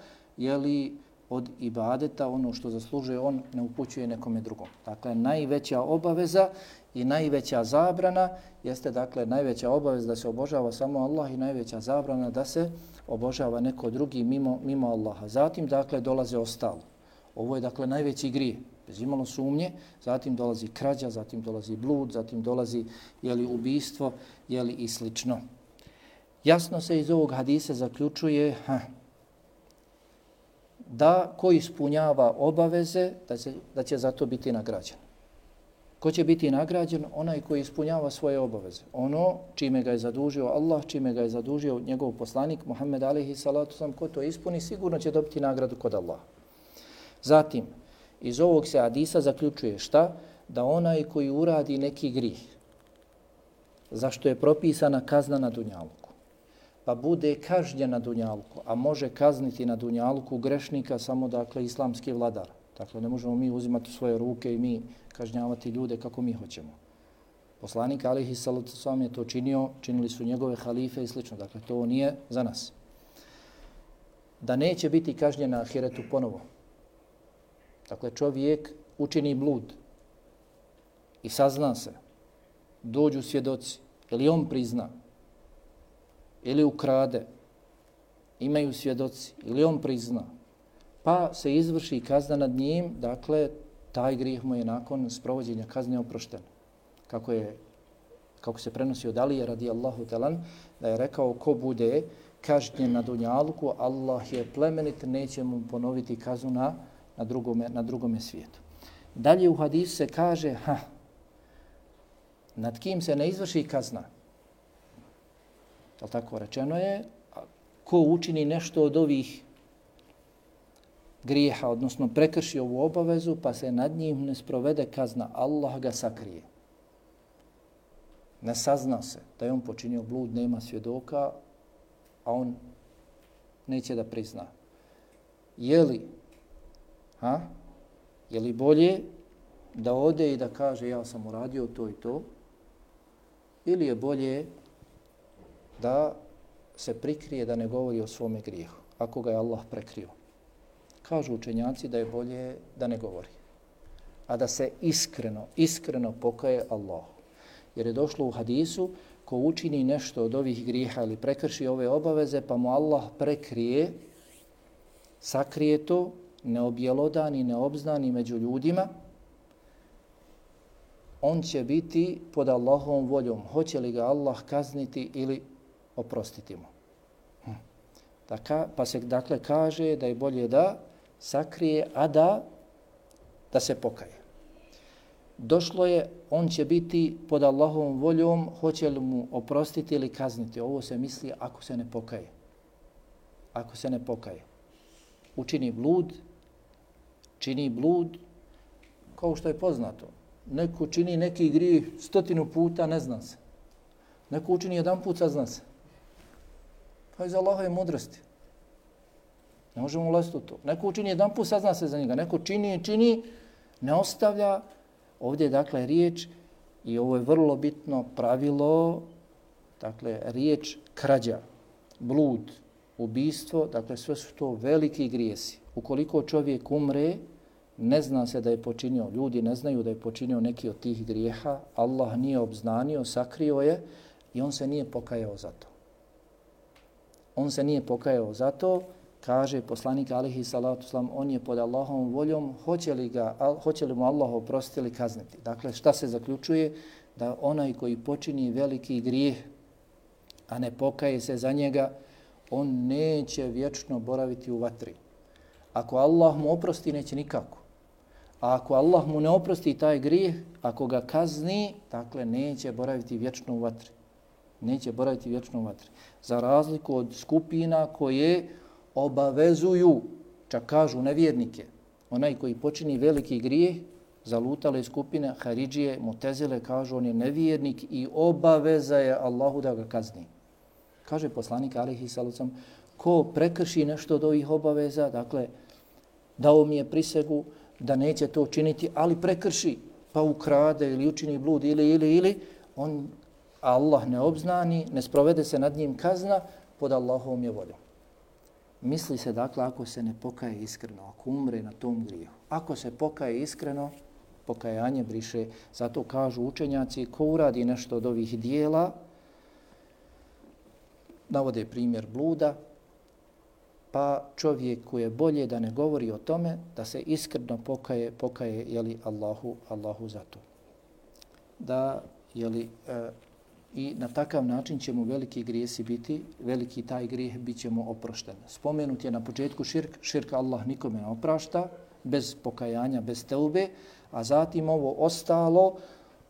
od ibadeta, ono što zaslužuje on, ne upućuje nekome drugom. Dakle, najveća obaveza i najveća zabrana jeste, dakle, najveća obaveza da se obožava samo Allah i najveća zabrana da se obožava neko drugi mimo Allaha. Zatim, dakle, dolaze ostalo. Ovo je, dakle, najveći grije, bez imalo sumnje. Zatim dolazi krađa, zatim dolazi blud, zatim dolazi ubijstvo i slično. Jasno se iz ovog hadisa zaključuje da ko ispunjava obaveze, da će za to biti nagrađen. Ko će biti nagrađen? Onaj koji ispunjava svoje obaveze. Ono čime ga je zadužio Allah, čime ga je zadužio njegov poslanik Muhammed alejhi salatu vesselam, ko to ispuni, sigurno će dobiti nagradu kod Allaha. Zatim, iz ovog se hadisa zaključuje šta? Da onaj koji uradi neki grijeh, zašto je propisana kazna na dunjaluku, pa bude kažnjen na dunjaluku, a može kazniti na dunjaluku grešnika samo, dakle, islamski vladar. Dakle, ne možemo mi uzimati u svoje ruke i mi kažnjavati ljude kako mi hoćemo. Poslanik alejhi salatu vesselam je to činio, činili su njegove halife i slično. Dakle, to nije za nas. Da neće biti kažnjen na ahiretu ponovo. Dakle, čovjek učini blud i sazna se, dođu svjedoci, ili on prizna, ili ukrade, imaju svjedoci, ili on prizna, pa se izvrši kazna nad njim, dakle, taj grijeh mu je nakon sprovođenja kazne oprošten. Kako se prenosi od Alije radijallahu talan, da je rekao ko bude kažnjen na dunjaluku, Allah je plemenit, neće mu ponoviti kaznu na drugome svijetu. Dalje u hadisu se kaže, nad kim se ne izvrši kazna. Tako rečeno je, ko učini nešto od ovih grijeha, odnosno prekrši ovu obavezu, pa se nad njim ne sprovede kazna, Allah ga sakrije. Ne sazna se da je on počinio blud, nema svjedoka, a on neće da prizna. Je li bolje da ode i da kaže ja sam uradio to i to, ili je bolje da se prikrije, da ne govori o svome grijehu, ako ga je Allah prekrio? Kažu učenjaci da je bolje da ne govori, a da se iskreno pokaje Allahu. Jer je došlo u hadisu, ko učini nešto od ovih grijeha ili prekrši ove obaveze, pa mu Allah prekrije, sakrije to, ne objelodani, ne obznani među ljudima, on će biti pod Allahovom voljom. Hoće li ga Allah kazniti ili oprostiti mu? Pa se dakle kaže da je bolje da sakrije, a da se pokaje. Došlo je, on će biti pod Allahovom voljom, hoće li mu oprostiti ili kazniti. Ovo se misli ako se ne pokaje. Ako se ne pokaje. Čini blud, kao što je poznato. Neko čini neki grijeh 100 puta, ne zna se. Neko učini jedan put, sazna se. Pa iz Allahove mudrosti. Ne možemo ulaziti u to. Neko učini jedan put, sazna se za njega. Neko čini, ne ostavlja. Ovdje je dakle riječ, i ovo je vrlo bitno pravilo, dakle riječ krađa, blud, ubistvo, dakle sve su to veliki grijesi. Ukoliko čovjek umre, ne zna se da je počinio, ljudi ne znaju da je počinio neki od tih grijeha, Allah nije obznanio, sakrio je i on se nije pokajao za to. On se nije pokajao za to, kaže poslanik alihi salatu salam, on je pod Allahovom voljom, hoće li mu Allah oprostiti ili kazniti. Dakle, šta se zaključuje? Da onaj koji počini veliki grijeh, a ne pokaje se za njega, on neće vječno boraviti u vatri. Ako Allah mu oprosti, neće nikako. A ako Allah mu ne oprosti taj grijeh, ako ga kazni, dakle, neće boraviti vječno u vatri. Neće boraviti vječno u vatri. Za razliku od skupina koje obavezuju, čak kažu nevjernike, onaj koji počini veliki grijeh, zalutale skupine, Haridžije, Mutezile, kažu on je nevjernik i obaveza je Allahu da ga kazni. Kaže poslanik alihi sallam, ko prekrši nešto od ovih obaveza, dakle, dao mi je prisegu da neće to učiniti, ali prekrši, pa ukrade ili učini blud ili, on Allah ne obznani, ne sprovede se nad njim kazna, pod Allahovom je voljom. Misli se dakle ako se ne pokaje iskreno, ako umre na tom grijehu. Ako se pokaje iskreno, pokajanje briše. Zato kažu učenjaci, ko uradi nešto od ovih dijela, navode primjer bluda, pa čovjek koji je bolje da ne govori o tome, da se iskreno pokaje jeli, Allahu za to. Da, jeli, i na takav način će mu veliki grijesi biti, veliki taj grijeh bit će mu oprošten. Spomenut je na početku širk Allah nikome ne oprašta, bez pokajanja, bez teube, a zatim ovo ostalo,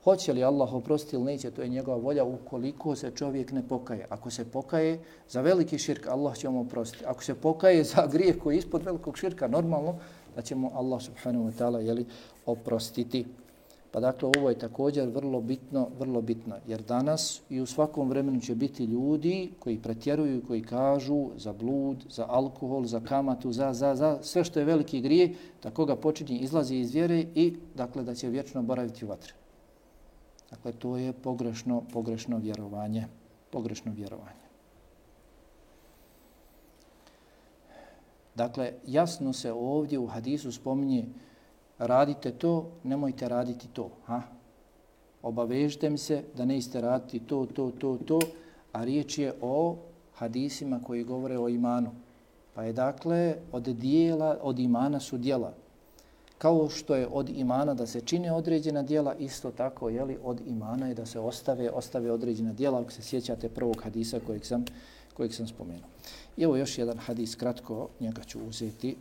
hoće li Allah oprostiti ili neće, to je njegova volja ukoliko se čovjek ne pokaje. Ako se pokaje za veliki širk, Allah će mu oprostiti. Ako se pokaje za grijeh koji je ispod velikog širka, normalno da će mu Allah subhanahu wa ta'ala jeli, oprostiti. Pa dakle, ovo je također vrlo bitno, jer danas i u svakom vremenu će biti ljudi koji pretjeruju, koji kažu za blud, za alkohol, za kamatu, za sve što je veliki grijeh, da koga počinje izlazi iz vjere i dakle da će vječno boraviti u vatri. Dakle, to je pogrešno vjerovanje. Dakle, jasno se ovdje u hadisu spominje radite to, nemojte raditi to. Obavežite mi se da nećete raditi to, a riječ je o hadisima koji govore o imanu. Pa je dakle od imana su djela. Kao što je od imana da se čine određena djela, isto tako od imana je da se ostave određena djela, ako se sjećate prvog hadisa kojeg sam spomenuo. I evo još jedan hadis, kratko njega ću uzeti.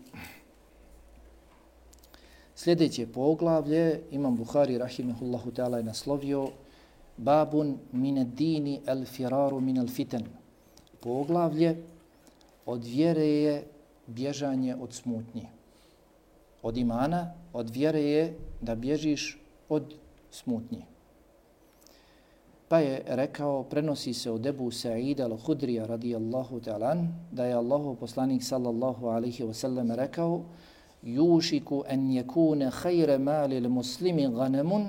Sljedeće poglavlje, Imam Buhari rahimehullahu ta'ala je naslovio Babun mine dini el firaru min el fitan. Poglavlje od vjere je bježanje od smutnji. Od imana, od vjere je da bježiš od smutnji. Pa je rekao, prenosi se od Ebu Sa'ida al-Hudrija radijallahu ta'ala, da je Allahov poslanik sallallahu alaihi wa sallam rekao Yušiku an yakuna khayra mali l-muslimi ganamun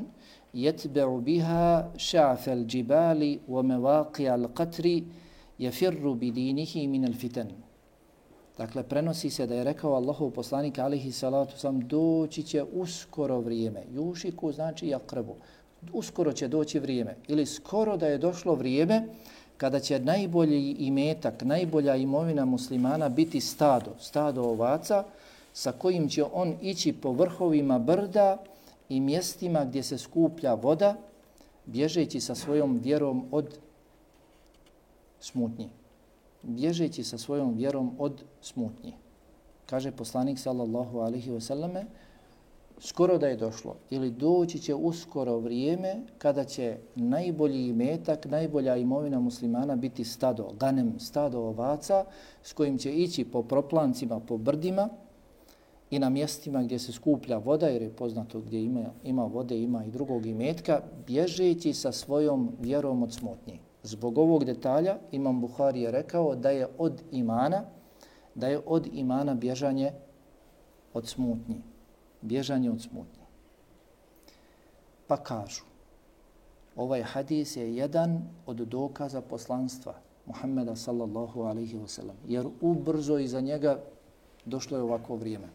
yatba'u biha ša'fa l-đibali wa mevaqi'a l-qatri yafirru bidinihi min al-fitan. Dakle, prenosi se da je rekao Allahov poslanik alaihi salatu sam doći će uskoro vrijeme. Yušiku znači jakrebu. Uskoro će doći vrijeme. Ili skoro da je došlo vrijeme kada će najbolji imetak, najbolja imovina muslimana biti stado ovaca, sa kojim će on ići po vrhovima brda i mjestima gdje se skuplja voda, bježeći sa svojom vjerom od smutnji. Bježeći sa svojom vjerom od smutnji. Kaže poslanik sallallahu alaihi wasallam, skoro da je došlo ili doći će uskoro vrijeme kada će najbolji imetak, najbolja imovina muslimana biti stado, ganem, stado ovaca s kojim će ići po proplancima, po brdima i na mjestima gdje se skuplja voda, jer je poznato gdje ima vode, ima i drugog imetka, bježeći sa svojom vjerom od smutnji. Zbog ovog detalja Imam Buhari je rekao da je od imana bježanje od smutnji. Bježanje od smutnji. Pa kažu, ovaj hadis je jedan od dokaza poslanstva Muhammeda sallallahu alaihi wa sallam, jer ubrzo iza njega došlo je ovako vrijeme.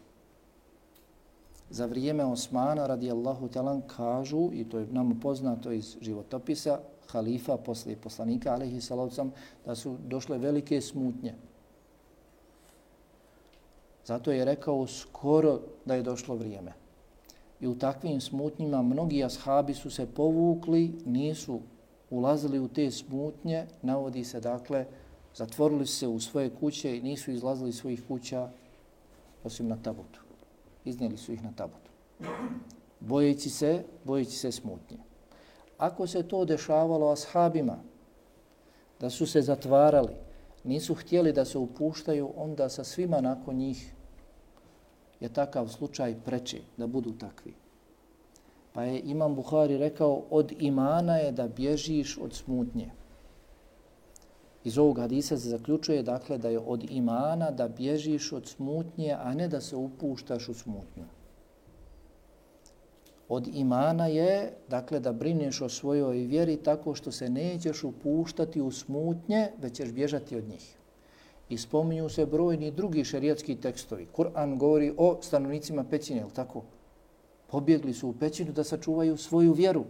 Za vrijeme Osmana radijallahu ta'ala kažu, i to je nam poznato iz životopisa, halifa poslije poslanika alaihi salatu sallam, da su došle velike smutnje. Zato je rekao skoro da je došlo vrijeme. I u takvim smutnjima mnogi ashabi su se povukli, nisu ulazili u te smutnje, navodi se dakle, zatvorili se u svoje kuće i nisu izlazili iz svojih kuća osim na tabutu. Iznijeli su ih na tabutu. Bojeći se smutnje. Ako se to dešavalo ashabima, da su se zatvarali, nisu htjeli da se upuštaju, onda sa svima nakon njih je takav slučaj preči da budu takvi. Pa je Imam Buhari rekao, od imana je da bježiš od smutnje. Iz ovog hadisa se zaključuje dakle da je od imana da bježiš od smutnje, a ne da se upuštaš u smutnju. Od imana je dakle da brineš o svojoj vjeri tako što se nećeš upuštati u smutnje, već ćeš bježati od njih. I spominju se brojni drugi šerijatski tekstovi. Kur'an govori o stanovnicima pećine, je li tako? Pobjegli su u pećinu da sačuvaju svoju vjeru.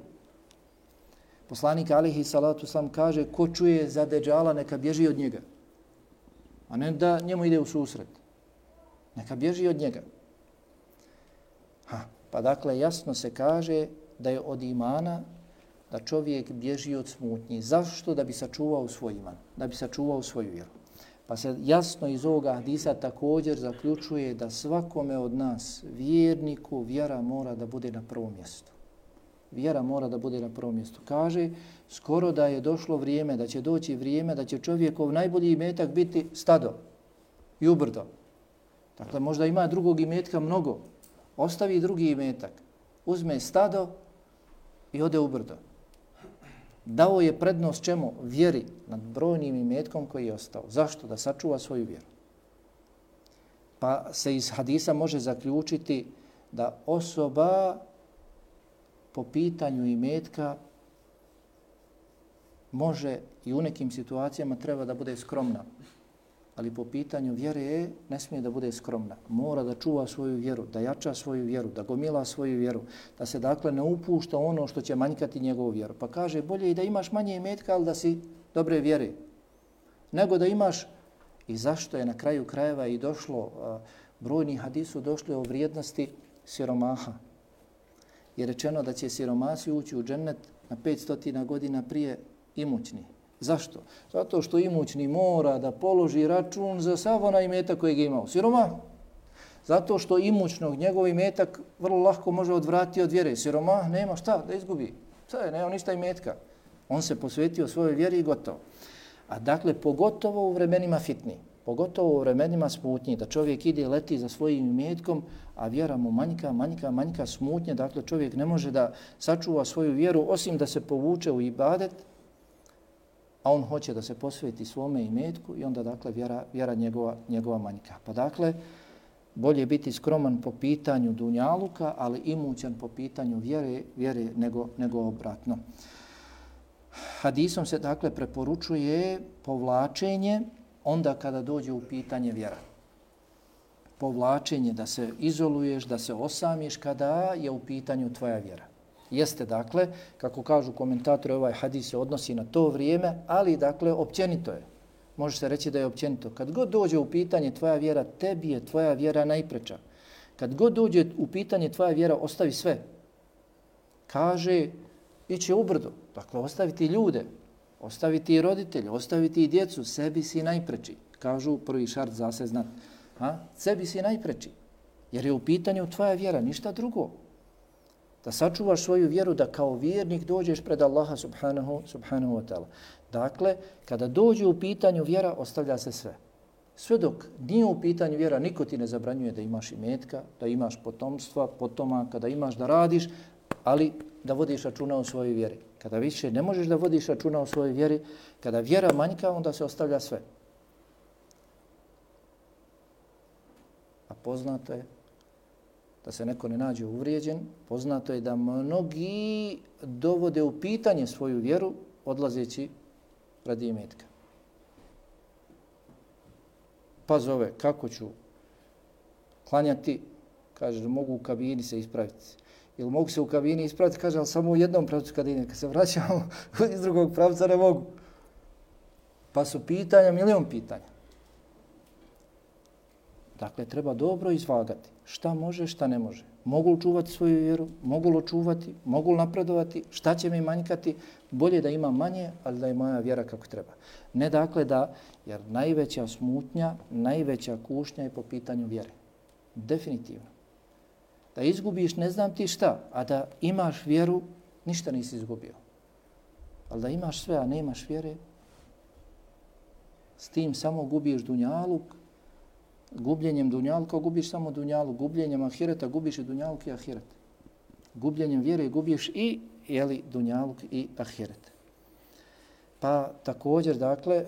Poslanik alejhi salatu vesselam kaže, ko čuje za Deđala neka bježi od njega. A ne da njemu ide u susret. Neka bježi od njega. Pa dakle jasno se kaže da je od imana da čovjek bježi od smutnji. Zašto? Da bi sačuvao svoj iman, da bi sačuvao svoju vjeru. Pa se jasno iz ovoga hadisa također zaključuje da svakome od nas, vjerniku, vjera mora da bude na prvom mjestu. Vjera mora da bude na prvom mjestu. Kaže, skoro da je došlo vrijeme, da će doći vrijeme, da će čovjekov najbolji imetak biti stado i ubrdo. Dakle, možda ima drugog imetka mnogo. Ostavi drugi imetak, uzme stado i ode ubrdo. Dao je prednost čemu? Vjeri nad brojnim imetkom koji je ostao. Zašto? Da sačuva svoju vjeru. Pa se iz hadisa može zaključiti da osoba po pitanju imetka može i u nekim situacijama treba da bude skromna. Ali po pitanju vjere ne smije da bude skromna. Mora da čuva svoju vjeru, da jača svoju vjeru, da gomila svoju vjeru, da se dakle ne upušta ono što će manjkati njegovu vjeru. Pa kaže, bolje i da imaš manje imetka, ali da si dobre vjere. Nego da imaš, i zašto je na kraju krajeva i došlo, brojni hadisu došli o vrijednosti siromaha. Je rečeno da će siromasi ući u džennet na 500 godina prije imućni. Zašto? Zato što imućni mora da položi račun za sav onaj imetak kojeg je imao. Siromah. Zato što imućnog njegov imetak vrlo lako može odvratiti od vjere. Siromah nema šta da izgubi. Sve, nema ništa imetka. On se posvetio svojoj vjeri i gotovo. A dakle, pogotovo u vremenima fitni, pogotovo u vremenima smutnji, da čovjek ide i leti za svojim imetkom, a vjera mu manjka smutnje, dakle čovjek ne može da sačuva svoju vjeru osim da se povuče u ibadet, a on hoće da se posveti svome imetku i onda dakle vjera njegova manjka. Pa dakle, bolje biti skroman po pitanju dunjaluka, ali imućan po pitanju vjere nego obratno. Hadisom se dakle preporučuje povlačenje onda kada dođe u pitanje vjera. Povlačenje, da se izoluješ, da se osamiš kada je u pitanju tvoja vjera. Jeste dakle, kako kažu komentatori, ovaj hadis se odnosi na to vrijeme, ali dakle općenito je. Može se reći da je općenito. Kad god dođe u pitanje tvoja vjera, tebi je tvoja vjera najpreča. Kad god dođe u pitanje tvoja vjera, ostavi sve. Kaže, ići ubrdo. Dakle, ostaviti ljude, ostaviti roditelje, ostaviti djecu, sebi si najpreči. Kažu prvi šart za se znat. Sebi si najpreči. Jer je u pitanju tvoja vjera, ništa drugo. Da sačuvaš svoju vjeru, da kao vjernik dođeš pred Allaha subhanahu wa ta'ala. Dakle, kada dođe u pitanju vjera, ostavlja se sve. Sve dok nije u pitanju vjera, niko ti ne zabranjuje da imaš imetka, da imaš potomstva, potomaka, da imaš da radiš, ali da vodiš računa o svojoj vjeri. Kada više ne možeš da vodiš računa o svojoj vjeri, kada vjera manjka, onda se ostavlja sve. A poznato je da se neko ne nađe uvrijeđen, poznato je da mnogi dovode u pitanje svoju vjeru odlazeći radi imetka. Pa zove, kako ću klanjati, kaže da mogu u kabini se ispraviti. Ili mogu se u kabini ispraviti, kaže, ali samo u jednom pravcu kad se vraćamo iz drugog pravca ne mogu. Pa su pitanja, milion pitanja. Dakle, treba dobro izvagati. Šta može, šta ne može. Mogu li čuvati svoju vjeru, mogu li očuvati, mogu li napredovati, šta će mi manjkati. Bolje da ima manje, ali da je moja vjera kako treba. Ne dakle da, jer najveća smutnja, najveća kušnja je po pitanju vjere. Definitivno. Da izgubiš ne znam ti šta, a da imaš vjeru, ništa nisi izgubio. Ali da imaš sve, a nemaš vjere, s tim samo gubiš dunjaluk, gubljenjem dunjaluka gubiš samo dunjaluk, gubljenjem ahireta gubiš i dunjaluk i ahiret. Gubljenjem vjere gubiš i dunjaluk i ahiret. Pa također, dakle,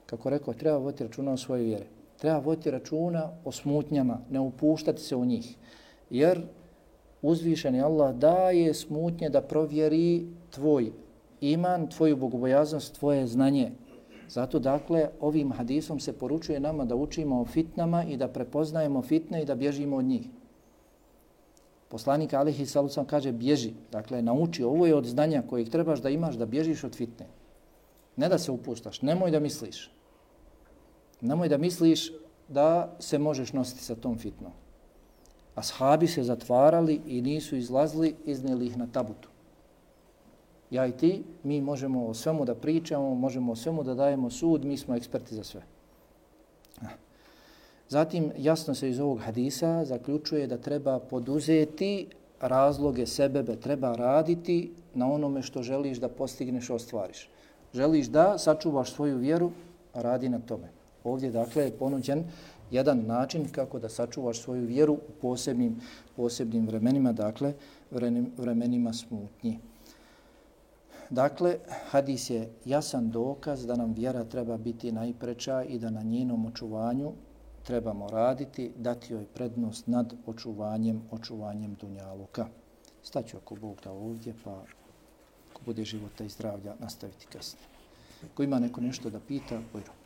kako rekao, treba voditi računa o svojoj vjeri. Treba voditi računa o smutnjama, ne upuštati se u njih. Jer uzvišeni Allah daje smutnje da provjeri tvoj iman, tvoju bogobojaznost, tvoje znanje. Zato, dakle, ovim hadisom se poručuje nama da učimo o fitnama i da prepoznajemo fitne i da bježimo od njih. Poslanik alejhi salatu vesselam kaže bježi, dakle, nauči, ovo je od znanja kojeg trebaš da imaš da bježiš od fitne. Ne da se upuštaš, nemoj da misliš. Nemoj da misliš da se možeš nositi sa tom fitnom. Ashabi se zatvarali i nisu izlazili, iznijeli ih na tabutu. Ja i ti, mi možemo o svemu da pričamo, možemo o svemu da dajemo sud, mi smo eksperti za sve. Zatim, jasno se iz ovog hadisa zaključuje da treba poduzeti razloge sebebe, treba raditi na onome što želiš da postigneš, ostvariš. Želiš da sačuvaš svoju vjeru, radi na tome. Ovdje, dakle, je ponuđen jedan način kako da sačuvaš svoju vjeru u posebnim vremenima, dakle, vremenima smutnji. Dakle, hadis je jasan dokaz da nam vjera treba biti najpreča i da na njenom očuvanju trebamo raditi, dati joj prednost nad očuvanjem dunjaluka. Staću ako Bog da ovdje, pa ako bude života i zdravlja, nastaviti kasnije. Ako ima neko nešto da pita, bojno.